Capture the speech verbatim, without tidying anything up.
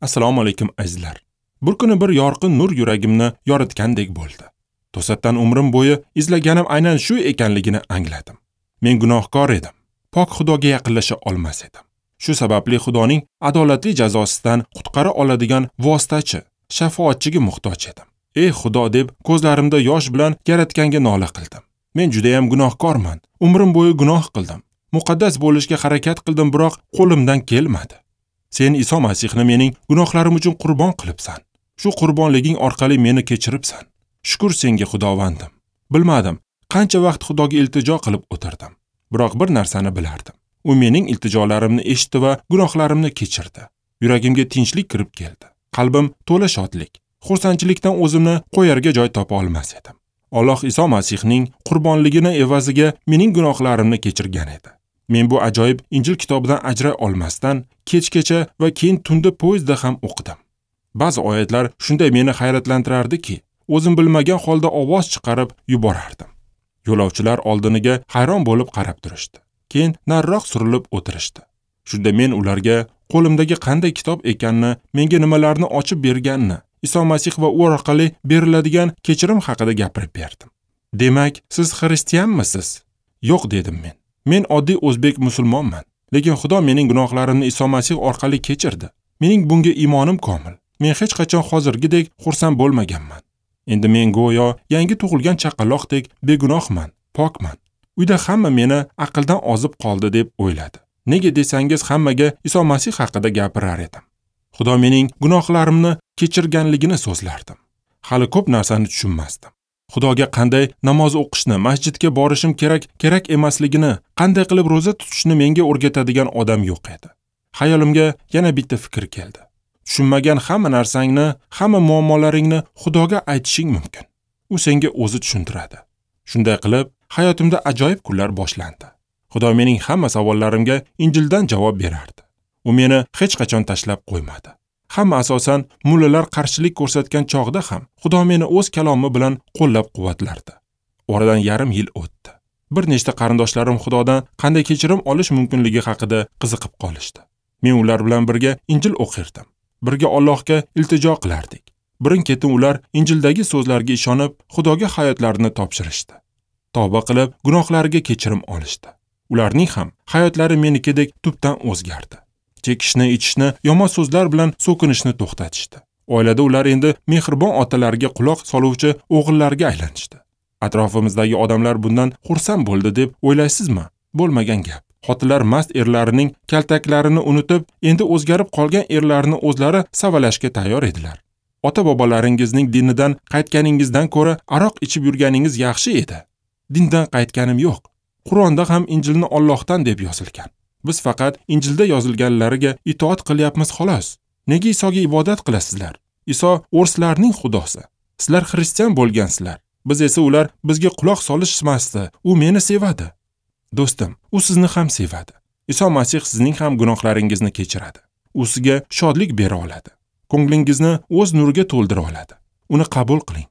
Assalomu alaykum azizlar. Bir kuni bir yorqin nur yuragimni yoritgandek bo'ldi. To'satdan umrim bo'yi izlaganim aynan shu ekanligini angladim. Men gunohkor edim. Pok Xudoga yaqinlasha olmas edim. Shu sababli Xudoning adolatli jazosidan qutqara oladigan vositachi, shafoatchiga muhtoj edim. Ey Xudo deb ko'zlarimda yosh bilan Yaratganga nola qildim. Men juda ham gunohkorman. Umrim bo'yi gunoh qildim. Muqaddas bo'lishga harakat qildim, biroq qo'limdan kelmadi. Sen Iso Masihni mening gunohlarim uchun qurbon qilibsan. Shu qurbonliging orqali meni kechiribsan. Shukr senga Xudovandim. Bilmadim, qancha vaqt Xudoga iltijo qilib o'tirdim. Biroq bir narsani bilardim. U mening iltijolarimni eshitdi va gunohlarimni kechirdi. Yuragimga tinchlik kirib keldi. Qalbim to'la shodlik. Xursandchilikdan o'zimni qo'yarga joy topa olmas edim. Alloh Iso Masihning qurbonligini evaziga mening gunohlarimni kechirgan edi. Men bu ajoyib Injil kitobidan ajray olmasdan kechgacha va keyin tunda poyezdda ham o'qidim. Ba'zi oyatlar shunday meni hayratlantirardiki, o'zim bilmagan holda ovoz chiqarib yuborardim. Yo'lovchilar oldiniga hayron bo'lib qarab turishdi. Keyin nariroq surilib o'tirishdi. Shunda men ularga qo'limdagi qanday kitob ekanini, menga nimalarni ochib berganini, Iso Masih va u orqali beriladigan kechirim haqida gapirib berdim. Demak, siz xristianmisiz? Yo'q dedim men. Men oddiy o'zbek musulmonman, lekin Xudo mening gunohlarimni Iso Masih orqali kechirdi. Mening bunga iymonim komil. Men hech qachon hozirgidek xursand bo'lmaganman. Endi men go'yo yangi tug'ilgan chaqaloqdek begunohman, pokman. Uyda hamma meni aqldan ozib qoldi deb o'yladi. Nega desangiz, hammaga Iso Masih haqida gapirar edim. Xudo mening gunohlarimni kechirganligini so'zlardim. Hali ko'p narsani tushunmasdim. Xudoga qanday namoz o'qishni, masjidga borishim kerak, kerak emasligini, qanday qilib ro'za tutishni menga o'rgatadigan odam yo'q edi. Xayolimga yana bitta fikr keldi. Tushunmagan hamma narsangni, hamma muammolaringni Xudoga aytishing mumkin. U senga o'zi tushuntiradi. Shunday qilib, hayotimda ajoyib kunlar boshlandi. Xudo mening hamma savollarimga Injildan javob berardi. U meni hech qachon tashlab qo'ymadi. Hamma asosan mullalar qarshilik ko'rsatgan chog'da ham Xudo meni o'z kalomi bilan qo'llab-quvvatlardi. Oradan yarim yil o'tdi. Bir nechta qarindoshlarim Xudodan qanday kechirim olish mumkinligi haqida qiziqib qolishdi. Men ular bilan birga Injil o'qirdim. Birga Allohga iltijo qilardik. Birin-ketin ular Injildagi so'zlarga ishonib, Xudoga hayotlarini topshirishdi. Tavba qilib, gunohlariga kechirim olishdi. Ularning ham hayotlari menikidek tubdan o'zgardi. Chekishni, ichishni, yomon so'zlar bilan so'kinishni to'xtatishdi. Oilada ular endi mehribon otalarga quloq soluvchi o'g'illarga aylanishdi. Atrofimizdagi odamlar bundan xursand bo'ldi deb o'ylaysizmi? Bo'lmagan gap. Xotinlar mast erlarining kaltaklarini unutib, endi o'zgarib qolgan erlarini o'zlari savalashga tayyor edilar. Ota-bobolaringizning dinidan qaytganingizdan ko'ra aroq ichib yurganingiz yaxshi edi. Dindan qaytganim yo'q. Qur'onda ham Injilni Allohdan deb yozilgan. Biz faqat Injilda yozilganlariga itoat qilyapmiz xolos. Nega Isoga ibodat qilasizlar? Iso o'rislarning xudosi. Sizlar xristian bo'lgansizlar. Biz esa ular bizga quloq solishmasdi. U meni sevadi. Do'stim, u sizni ham sevadi. Iso Masih sizning ham gunohlaringizni kechiradi. U sizga shodlik bera oladi. Ko'nglingizni o'z nuriga to'ldira oladi. Uni qabul qiling.